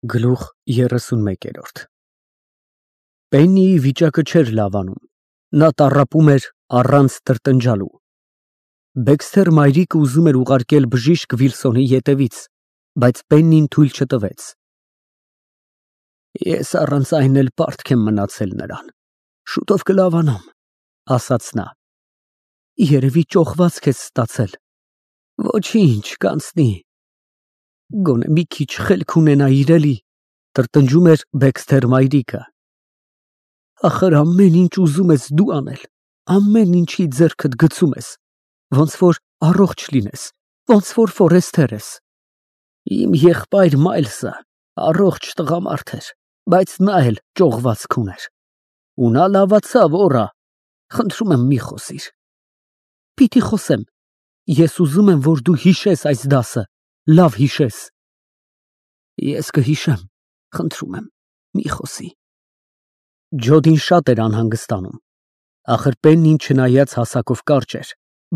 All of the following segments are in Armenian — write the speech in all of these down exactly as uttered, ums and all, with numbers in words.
Գլուխ երեսունմեկ Պեննիի վիճակը չէր լավանում, նա տառապում էր առանց տրտնջալու։ Դեքսթեր մայրիկը ուզում էր ուղարկել բժիշկ Վիլսոնի ետևից, բայց Պեննին թույլ չտվեց։ Ես առանց այն էլ պարտք եմ մնացել նրան, շուտով կլավանամ, ասաց նա։ Երևի ճոխվածք ես ստացել։ Ոչինչ, կանցնի։ Գոնե մի քիչ խելք ունենայիր էլի, տրտնջում էր Դեքսթեր մայրիկը։ Ախր ամեն ինչ ուզում ես դու անել, ամեն ինչի ձեռքդ գցում ես, ոնց որ առողջ լինես, ոնց որ Ֆորեսթեր ես։ Իմ եղբայր Մայլսը առողջ տղամարդ էր, բայց նա էլ ճողվածք ուներ։ Ու նա լավացավ, օռա, խնդրում եմ մի խոսիր։ Պիտի խոսեմ, ես ուզում եմ, որ դու հիշես այս դասը, լավ հիշես։ Ես կհիշեմ, խնդրում եմ, մի խոսի։ Ջոդին շատ էր անհանգստանում, ախր Պեննին չնայած հասակով կարճ էր,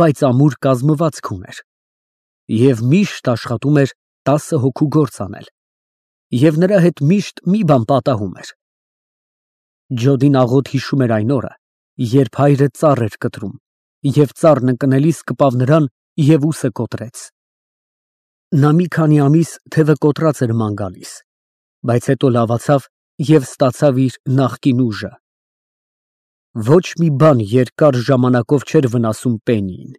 բայց ամուր կազմվածք ուներ, և միշտ աշխատում էր տասը հոգու գործ անել, և նրա հետ միշտ մի բան պատահում էր։ Ջոդին աղոտ հիշում էր այն օրը, երբ հայրը ծառ էր կտրում, և ծառն ընկնելիս կպավ նրան և ուսը կոտրեց։ Նա մի քանի ամիս թևը կոտրած էր ման գալիս, բայց հետո լավացավ և ստացավ իր նախկին ուժը։ Ոչ մի բան երկար ժամանակով չէր վնասում Պեննիին։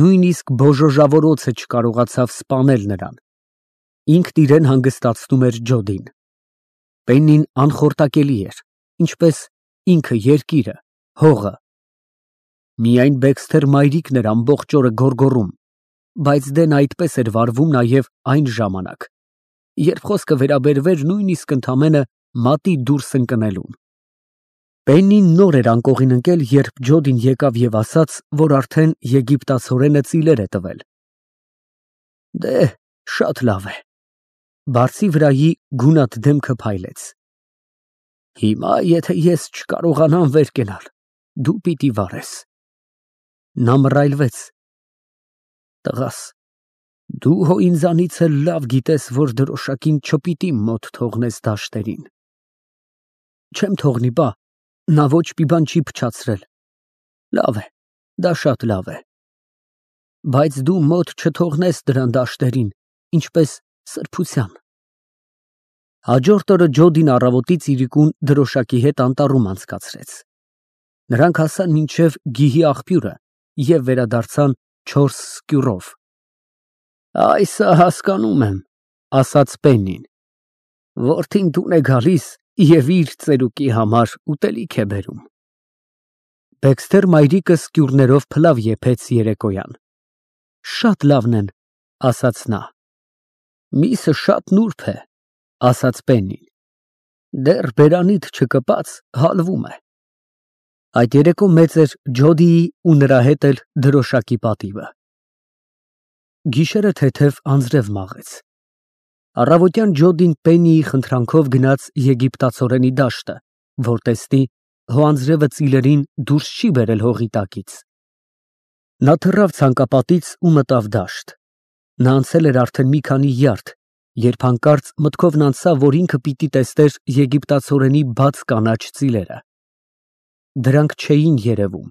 Նույնիսկ բոժոժավորոցը չկարողացավ սպանել նրան։ Ինքն իրեն հանգստացնում էր Ջոդին։ Պեննին անխորտակելի էր, ինչպես ինքը երկիրը, հողը։ Միայն Դեքսթեր մայրիկն էր ամբողջ օրը գոռգոռում, բայց դե նա այդպես էր վարվում նաև այն ժամանակ, երբ խոսքը վերաբերվեր նույնիսկ ընդամենը մատի դուրս ընկնելուն։ Պեննին նոր էր անկողին ընկել, երբ Ջոդին եկավ և ասաց, որ արդեն եգիպտացորենը ծիլեր է տվել։ Դե, շատ լավ է։ Բարձի վրայի գունատ դեմքը փայլեց։ Հիմա, եթե ես չկարողանամ վեր կենալ, դու պիտի վարես։ Նա մռայլվեց։ Տղաս, դու հո ինձանից էլ լավ գիտես, որ դրոշակին չպիտի մոտ թողնես դաշտերին։ Չեմ թողնի, բա, նա ոչ մի բան չի փչացրել։ Լավ է, դա շատ լավ է։ Բայց դու մոտ չթողնես դրան դաշտերին, ինչպես սրբության։ Հաջորդ օրը Ջոդին առավոտից իրիկուն դրոշակի հետ անտառում անցկացրեց։ Նրանք հասան մինչև գիհի աղբյուրը և վերադարձան չորս սկյուռով։ Այսա հասկանում եմ, ասաց Պեննին։ Որդին տուն է գալիս և իր ծերուկի համար ուտելիք է բերում։ Դեքսթեր մայրիկը սկյուռներով փլավ եփեց երեկոյան։ Շատ լավն են, ասաց նա։ Միսը շատ նուրբ է, ասաց Պեննին։ Դեռ բերանիդ չկպած հալվում է։ Այդ երեկո մեծ էր Ջոդիի ու նրա հետ էլ դրոշակի պատիվը։ Գիշերը թեթև անձրև մաղեց։ Առավոտյան Ջոդին Պեննիի խնդրանքով գնաց եգիպտացորենի դաշտը, որ տեսնի, հո անձրևը ծիլերին դուրս չի բերել հողի տակից։ Նա թռավ ցանկապատից ու մտավ դաշտ։ Նա անցել էր արդեն մի քանի յարդ, երբ հանկարծ մտքովն անցավ, որ ինքը պիտի տեսներ եգիպտացորենի բաց կանաչ ծիլերը։ Դրանք չէին երևում։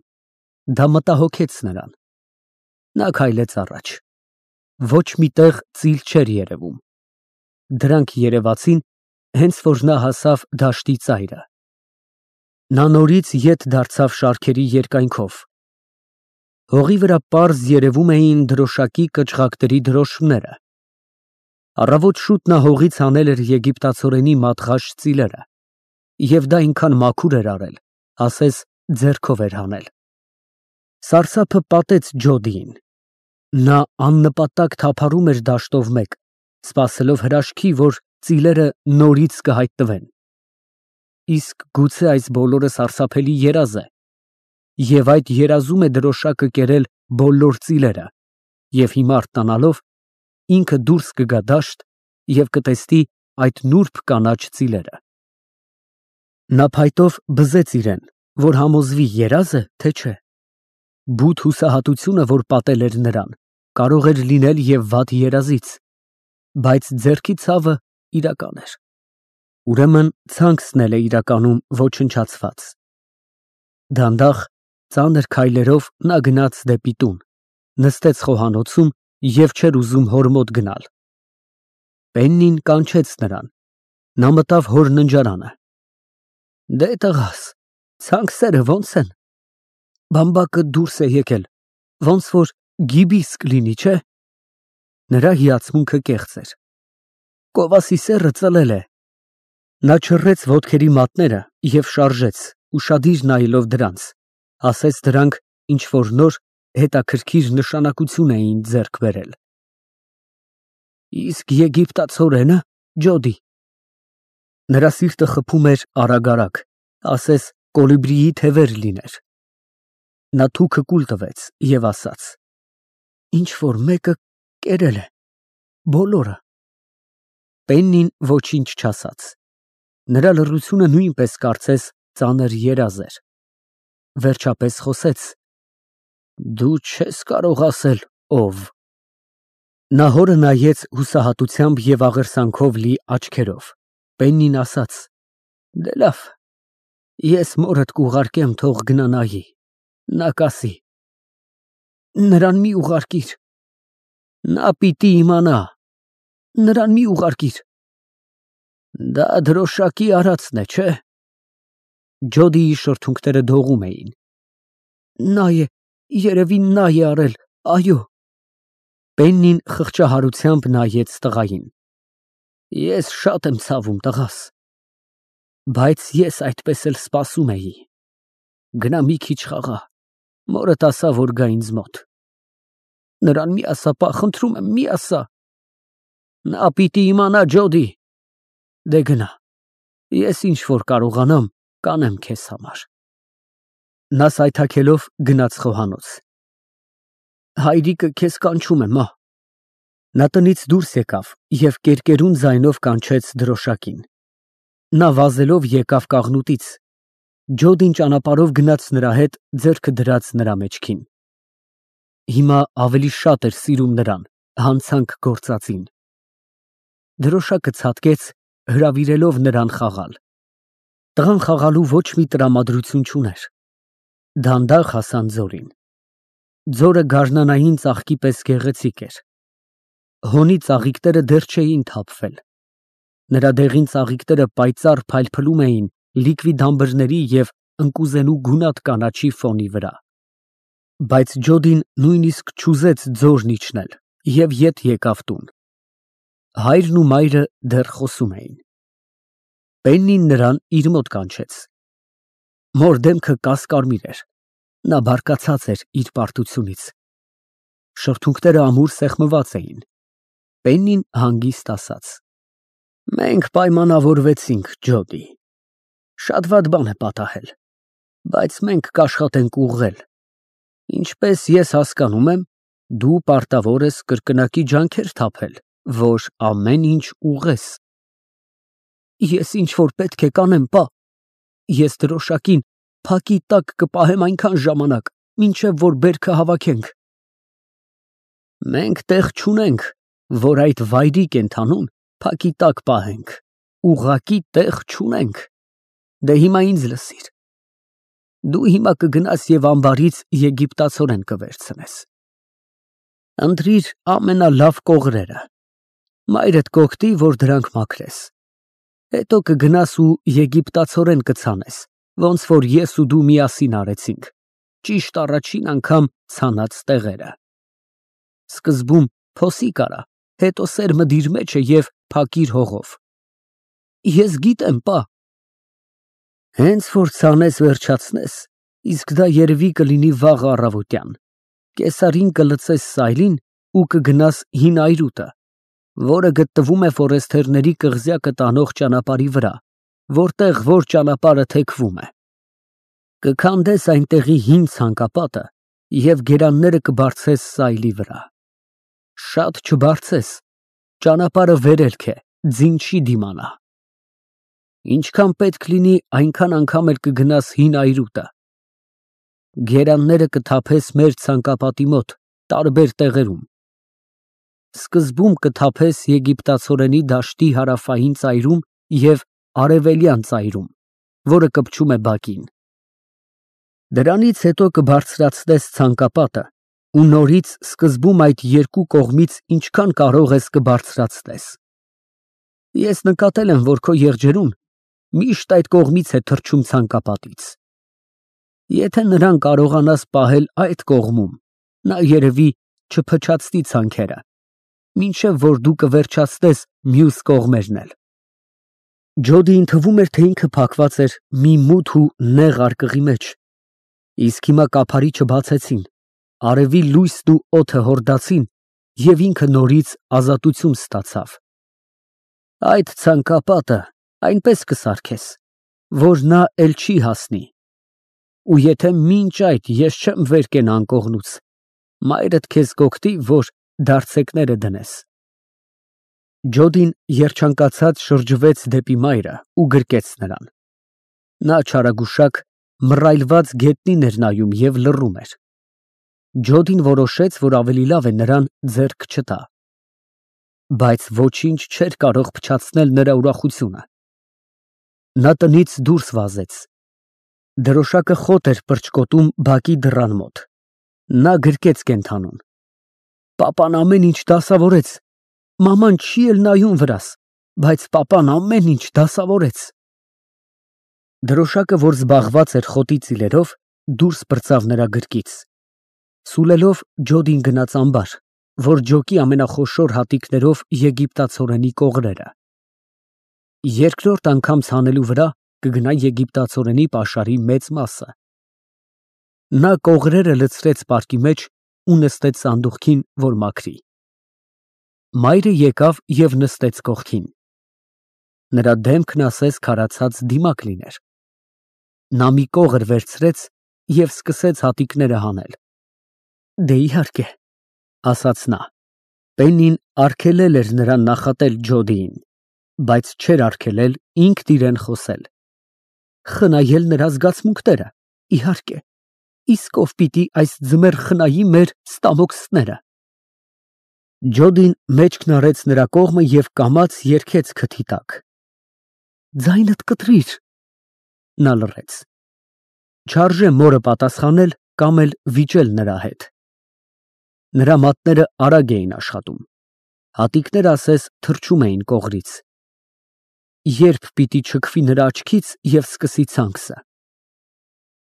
Դա մտահոգեց նրան։ Նա քայլեց առաջ։ Ոչ մի տեղ ծիլ չէր երևում։ Դրանք երևացին, հենց որ նա հասավ դաշտի ծայրը։ Նա նորից ետ դարձավ շարքերի երկայնքով։ Հողի վրա պարզ երևում էին դրոշակի կչղակների դրոշմները։ Առավոտ շուտ նա հողից հանել էր եգիպտացորենի մատղաշ ծիլերը, և դա այնքան մաքուր էր արել, ասես ձեռքով էր հանել։ Սարսափը պատեց Ջոդիին։ Նա աննպատակ թափառում էր դաշտով մեկ, սպասելով հրաշքի, որ ծիլերը նորից կհայտնվեն։ Իսկ գուցե այս բոլորը սարսափելի երազ է, և այդ երազում է դրոշակը կերել բոլոր ծիլերը, և հիմա արթնանալով, ինքը դուրս կգա դաշտ և կտեսնի այդ նուրբ կանաչ ծիլերը։ Նա փայտով բզեց իրեն, որ համոզվի երազ է, թե չէ։ Բութ հուսահատությունը, որ պատել էր նրան, կարող էր լինել և վատ երազից, բայց ձեռքի ցավը իրական էր։ Ուրեմն ցանկսն էլ է իրականում ոչնչացված։ Դանդաղ, ծանր քայլերով նա գնաց դեպի տուն, նստեց խոհանոցում և չէր ուզում հոր մոտ գնալ։ Պեննին կանչեց նրան։ Նա մտավ հոր ննջարանը։ Դե տղաս, ցանկսերը ո՞նց են։ Բամբակը դուրս է եկել, ոնց որ գիբիս կլինի, չէ։ Նրա հիացմունքը կեղծ էր։ Կովասի սեռը ծլել է։ Նա չռեց ոտքերի մատները և շարժեց, ուշադիր նայելով դրանց, ասես դրանք ինչ-որ նոր, հետաքրքիր նշանակություն էին ձեռք բերել։ Իսկ եգիպտացորենը, Ջոդի։ Նրա սիրտը խփում էր արագ֊արագ, ասես կոլիբրիի թևեր լիներ։ Նա թուքը կուլ տվեց և ասաց. Ինչ֊որ մեկը կերել է, բոլորը։ Պեննին ոչինչ չասաց։ Նրա լռությունը նույնպես կարծես ծանր երազ էր։ Վերջապես խոսեց. Դու չես կարող ասել ով։ Նա հորը նայեց հուսահատությամբ և աղերսանքով լի աչքերով։ Պեննին ասաց. Դե լավ, ես մորդ կուղարկեմ, թող գնա նայի, նա կասի։ Նրան մի ուղարկիր։ Նա պիտի իմանա։ Նրան մի ուղարկիր։ Դա դրոշակի արածն է, չէ։ Ջոդիի շրթունքները դողում էին։ Նա է, երևի նա է արել, այո։ Պեննին խղճահարությամբ նայեց տղային։ Ես շատ եմ ցավում, տղաս, բայց ես այդպես էլ սպասում էի։ Գնա մի քիչ խաղա, մորդ ասա, որ գա ինձ մոտ։ Նրան մի ասա, պա, խնդրում եմ, մի ասա։ Նա պիտի իմանա, Ջոդի։ Դե գնա, ես ինչ որ կարողանամ, կանեմ քեզ համար։ Նա սայթաքելով գնաց խոհանոց։ Հայրիկը քեզ կանչում է, մա։ Նա տնից դուրս եկավ և կերկերուն ձայնով կանչեց դրոշակին։ Նա վազելով եկավ կաղնուտից։ Ջոդին ճանապարհով գնաց նրա հետ, ձեռքը դրած նրա մեջքին։ Հիմա ավելի շատ էր սիրում նրան, հանցանք գործածին։ Դրոշակը ցատկեց, հրավիրելով նրան խաղալ։ Տղան խաղալու ոչ մի տրամադրություն չուներ։ Դանդաղ հասան ձորին։ Ձորը գարնանային ծաղկի պես գեղեցիկ էր։ Հոնի ծաղիկները դեռ չէին թափվել։ Նրա դեղին ծաղիկները պայծառ փայլփլում էին լիկվի դամբրների և ընկուզենու գունատ կանաչի ֆոնի վրա։ Բայց Ջոդին նույնիսկ չուզեց ձորն իջնել և ետ եկավ տուն։ Հայրն ու մայրը դեռ խոսում էին։ Պեննին նրան իր մոտ կանչեց։ Մոր դեմքը կասկարմիր էր։ Նա բարկացած էր իր պարտությունից։ Շրթունքները ամուր սեղմված էին։ Պեննին հանգիստ ասաց. Մենք պայմանավորվեցինք, Ջոդի։ Շատ վատ բան է պատահել, բայց մենք կաշխատենք ուղղել։ Ինչպես ես հասկանում եմ, դու պարտավոր ես կրկնակի ջանքեր թափել, որ ամեն ինչ ուղղես։ Ես ինչ որ պետք է կանեմ, պա։ Ես դրոշակին փակի տակ կպահեմ այնքան ժամանակ, մինչև որ բերքը հավաքենք։ Մենք տեղ չունենք, որ այդ վայրի կենդանուն փակի տակ պահենք, ուղղակի տեղ չունենք։ Դե հիմա ինձ լսիր։ Դու հիմա կգնաս և ամբարից եգիպտացորեն կվերցնես։ Ընտրիր ամենալավ կողրերը։ Մայրդ կօգնի, որ դրանք մաքրես։ Հետո կգնաս ու եգիպտացորեն կցանես, ոնց որ ես ու դու միասին արեցինք, ճիշտ առաջին անգամ ցանած տեղերը։ Սկզբում փոսի կարա, հետո սերմը դիր մեջը և փակիր հողով։ Ես գիտեմ, պա։ Հենց որ ցանես վերջացնես, իսկ դա երևի կլինի վաղ առավոտյան, կեսարին կլցես սայլին ու կգնաս հին այրուտը, որը գտնվում է ֆորեստերների կղզյակը տանող ճանապարհի վրա, որտեղ որ ճանապարհը թեքվում է։ Կքանդես այնտեղի հին ցանկապատը և գերանները կբարձես սայլի վրա։ Շատ չբարձես, ճանապարհը վերելք է, ձին չի դիմանա։ Ինչքան պետք լինի, այնքան անգամ էլ կգնաս հին այրուտը։ Գերանները կթափես մեր ցանկապատի մոտ, տարբեր տեղերում։ սկզբում կթափես եգիպտացորենի դաշտի հարավային ծայրում և արևելյան ծայրում, որը կպչում է բակին։ Դրանից հետո կբարձրացնես ցանկապատը ու նորից սկզբում այդ երկու կողմից ինչքան կարող ես կբարձրացնես։ Ես նկատել եմ, որ քո եղջերուն միշտ այդ կողմից է թռչում ցանկապատից։ Եթե նրան կարողանաս պահել այդ կողմում, նա երևի չփչացնի ցանքերը, մինչև որ դու կվերջացնես մյուս կողմերն էլ։ Ջոդիին թվում էր, թե ինքը փակված էր մի մութ ու նեղ արկղի մեջ, իսկ հիմա կափարիչը բացեցին, արևի լույսն ու օդը հորդացին, և ինքը նորից ազատություն ստացավ։ Այդ ցանկապատը այնպես կսարքես, որ նա էլ չի հասնի, ու եթե մինչ այդ ես չեմ վեր կենա անկողնուց, մայրդ քեզ կօգնի, որ դարձեկները դնես։ Ջոդին երջանկացած շրջվեց դեպի մայրը ու գրկեց նրան։ Նա չարագուշակ մռայլված գետնին էր նայում և լռում էր։ Ջոդին որոշեց, որ ավելի լավ է նրան ձեռք չտա։ Բայց ոչինչ չէր կարող փչացնել նրա ուրախությունը։ Նա տնից դուրս վազեց։ Դրոշակը խոտ էր պրճկոտում բակի դռան մոտ։ Նա գրկեց կենդանուն։ Պապան ամեն ինչ դասավորեց։ Մաման չի էլ նայում վրաս, բայց պապան ամեն ինչ դասավորեց։ Դրոշակը, որ զբաղված էր խոտի ծիլերով, դուրս պրծավ նրա գրկից։ Սուլելով Ջոդին գնաց ամբար, որ ջոկի ամենախոշոր հատիկներով եգիպտացորենի կողրերը։ Երկրորդ անգամ ցանելու վրա կգնա եգիպտացորենի պաշարի մեծ մասը։ Նա կողրերը լցրեց պարկի մեջ ու նստեց սանդուղքին, որ մաքրի։ Մայրը եկավ և նստեց կողքին։ Նրա դեմքն ասես քարացած դիմակ լիներ։ Նա մի կողր վերցրեց և սկսեց հատիկները հանել։ Դե իհարկե, ասաց նա։ Պեննին արգելել էր նրան նախատել Ջոդիին, բայց չէր արգելել ինքն իրեն խոսել։ Խնայել նրա զգացմունքները, իհարկե, իսկ ով պիտի այս ձմեռ խնայի մեր ստամոքսները։ Ջոդին մեջքն արեց նրա կողմը և կամաց երգեց քթի տակ։ Ձայնդ կտրիր։ Նա լռեց։ Չարժե մորը պատասխանել կամ էլ վիճել նրա հետ։ Նրա մատները արագ էին աշխատում։ Հատիկները ասես թռչում էին կողրից։ Երբ պիտի չքվի նրա աչքից և սկսի ցանքսը։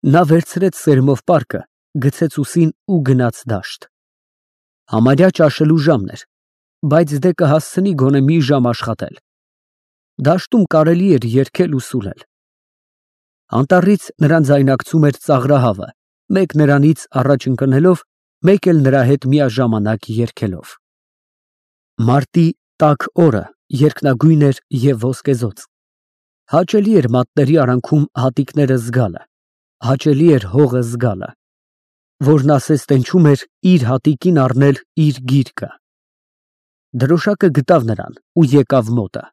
Նա վերցրեց սերմով պարկը, գցեց ուսին ու գնաց դաշտ։ Համարյա ճաշելու ժամն էր, բայց դե կհասցնի գոնե մի ժամ աշխատել։ Դաշտում կարելի էր երգել ու սուլել։ Անտառից նրան ձայնարկում էր ծաղրահավը, մեկ նրանից առաջ ընկնելով, մեկ էլ նրա հետ միաժամանակ երգելով։ Մարտի տաք օրը երկնագույն էր և ոսկեզօծ։ Հաճելի էր մատների արանքում հատիկները զգալը, հաճելի էր հողը զգալը, որն ասես տենչում էր իր հատիկին առնել իր գիրկը։ Դրոշակը գտավ նրան ու եկավ մոտը։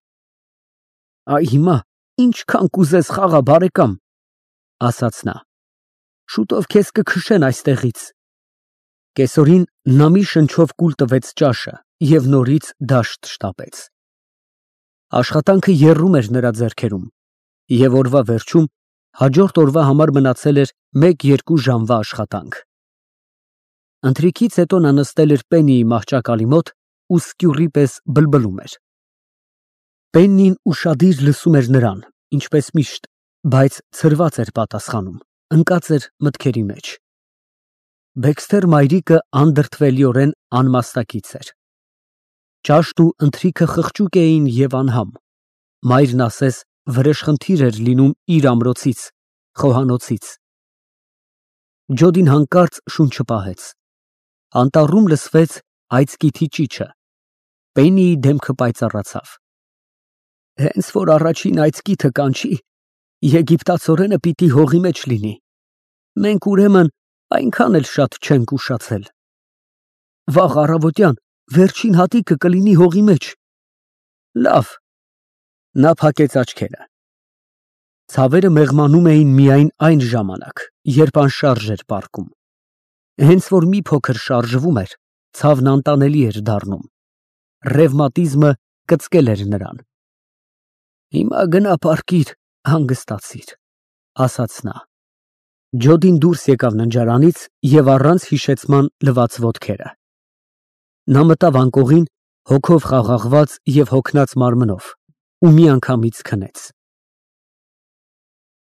Այ հիմա ինչքան կուզես խաղա, բարեկամ, ասաց նա։ Շուտով քեզ կքշեն այստեղից։ Կեսօրին նա մի շնչով կուլ տվեց ճաշը և նորից դաշտ շտապեց։ Աշխատանքը եռում էր նրա ձեռքերում, և օրվա վերջում հաջորդ օրվա համար մնացել էր մեկ֊երկու ժամվա աշխատանք։ Ընթրիքից հետո նա նստել էր Պեննիի մահճակալի մոտ ու սկյուռի պես բլբլում էր։ Պեննին ուշադիր լսում էր նրան, ինչպես միշտ, բայց ցրված էր պատասխանում, ընկած էր մտքերի մեջ։ Բեքսթեր մայրիկը անդրդվելիորեն անմաստակից էր։ Ճաշտն ու ընթրիքը խղճուկ էին և անհամ։ Մայրն ասես վրեժխնդիր էր լինում իր ամրոցից, խոհանոցից։ Ջոդին հանկարծ շունչը պահեց։ Անտառում լսվեց այծկիթի ճիչը։ Պեննիի դեմքը պայծառացավ։ Հենց որ առաջին այծկիթը կանչի, եգիպտացորենը պիտի հողի մեջ լինի։ Մենք ուրեմն այնքան էլ շատ չենք ուշացել։ Վաղ առավոտյան վերջին հատիկը կլինի հողի մեջ։ Լավ։ Նա փակեց աչքերը։ Ցավերը մեղմանում էին միայն այն ժամանակ, երբ անշարժ էր պառկում։ Հենց որ մի փոքր շարժվում էր, ցավն անտանելի էր դառնում։ Ռևմատիզմը կծկել էր նրան։ Հիմա գնա պառկիր, հանգստացիր, ասաց նա։ Ջոդին դուրս եկավ ննջարանից և առանց հիշեցման լվաց ոտքերը։ Նա մտավ անկողին, հոգով խաղաղված և հոգնած մարմնով ու միանգամից քնեց։